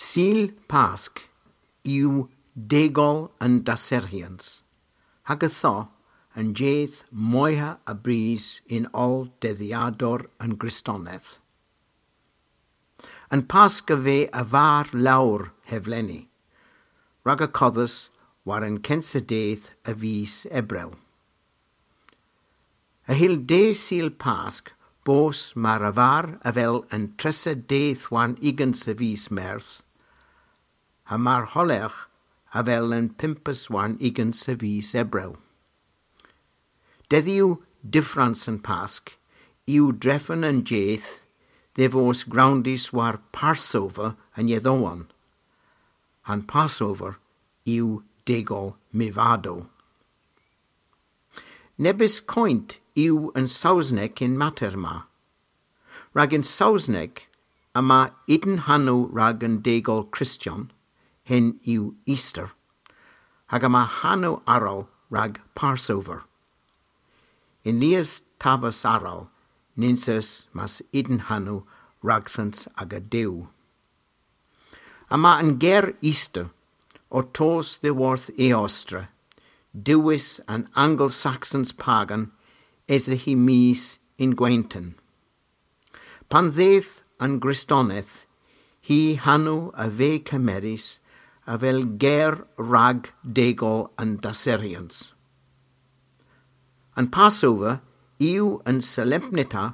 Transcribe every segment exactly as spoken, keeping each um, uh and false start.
Sul Pask yw degol an dasserghyans, hag ytho an jydh moyha a bris yn oll dedhyadour an Gristoneth. An Pask a veu a-varr lowr hevleni, rag y kodhas war an kensa dydh a vis Ebrel. Y hyll dydh Sul Pask bos mar a-varr avel an tressa dydh warn ugens a vis Meurth, ha mar holergh avel an pympes warn ugens a vis Ebrel. Dedhyow dyffrans an Pask yw drefen an jydh dhe vos growndys war Passover an Yedhewon. Ha'n Passover yw degol myvadow. Nebes koynt yw an Sowsnek y'n mater ma. Rag yn Sowsnek yma unn hanow rag an degol Kristyon, henn yw Easter, hag yma hanow arall rag Passover. Yn lies taves arall nyns eus mas unn hanow ragdhans aga Duw. Yma an ger Easter ow tos dhyworth Eostre, diwes an Angel-Saxons pagan, esa hy mis yn gwenton. Pan dheuth an Gristoneth, hy hanow a veu kemerys avel ger rag degol an dasserghyans. An Passover yw an solempnita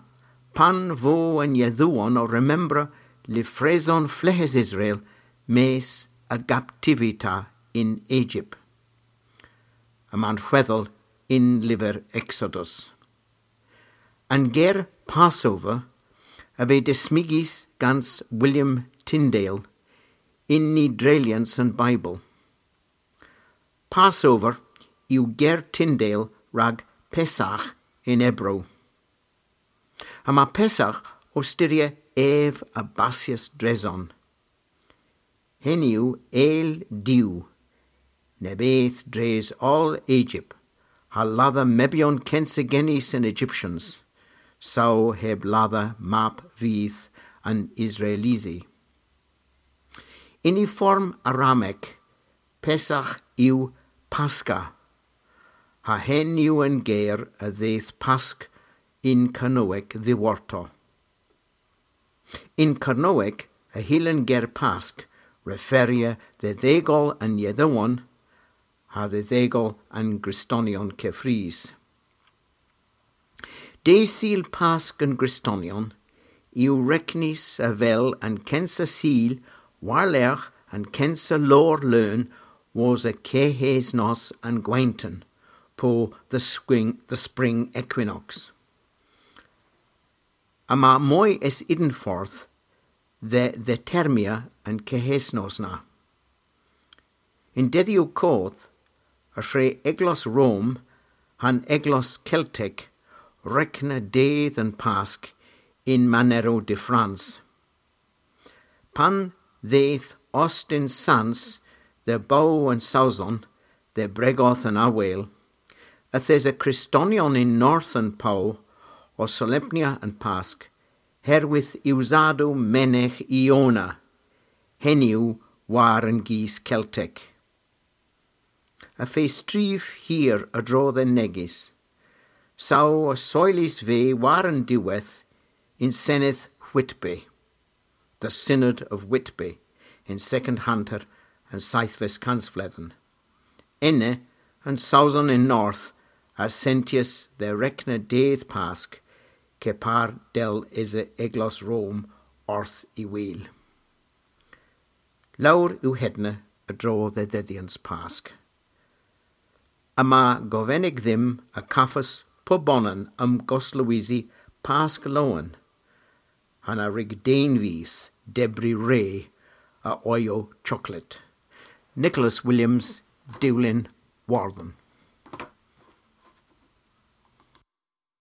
pan vo an Yedhewon ow remembra lyvreson fleghes Israel mes a gaptivita yn Egypt. Yma'n hwedhel yn lyver Exodus. An ger Passover a veu dismygys gans William Tyndale yn Ny Dreylyans an Beibl. Passover yw ger Tyndale rag Pesach yn Ebro. Yma Pesach ow styrya ev a bassyas dreson. Henn yw eyl Duw, neb eth dres oll Egypt, ha ladha mebyon kensa genys an Egyptians, saw heb ladha mab vydh an Israelisi. Yn y form Aramek, Pesach yw Paska, ha henn yw an ger a dheuth Pask yn Kernewek dhiworto. Yn Kernewek y hyllen ger Pask referya dhe dhegol an Yedhewon ha dhe dhegol an Gristonyon keffrys. Dydh Sul Pask an Gristonyon yw regnys avel an kensa Sul war-lergh an kensa lowr leun wosa kehesnos an gwenton, po the spring, the spring equinox. Yma moy es unn fordh dhe dhetermina an kehesnos na. Yn dedhyow koth, y hwre Eglos Rom ha'n Eglos Keltek regna dydh an Pask yn manerow dyffrans. Pan dheuth Austin Sans dhe bow an Sowson dhe bregoth an aweyl, yth esa Kristonyon yn north an pow ow solempnya an Pask, herwydh usadow menegh Iona, henn yw war an gis Keltek. Y feu strif hir a-dro dhe'n negys, saw y soylys vy war an diwedh yn Senedh Whitby, the Synod of Whitby, yn sekond hanter an seythves kansvledhen. Ena, an Sowson yn north a sentyas dhe regna dydh Pask, kepar dell esa Eglos Rom orth y wul. Lowr yw hedna a-dro dhe dhydhyans Pask. Yma govenek dhymm a gavas pubonan omgoslowysi Pask lowen, ha na wrug den vyth dybri re a oyow choklet. Nicholas Williams, Dulyn, Wordhen.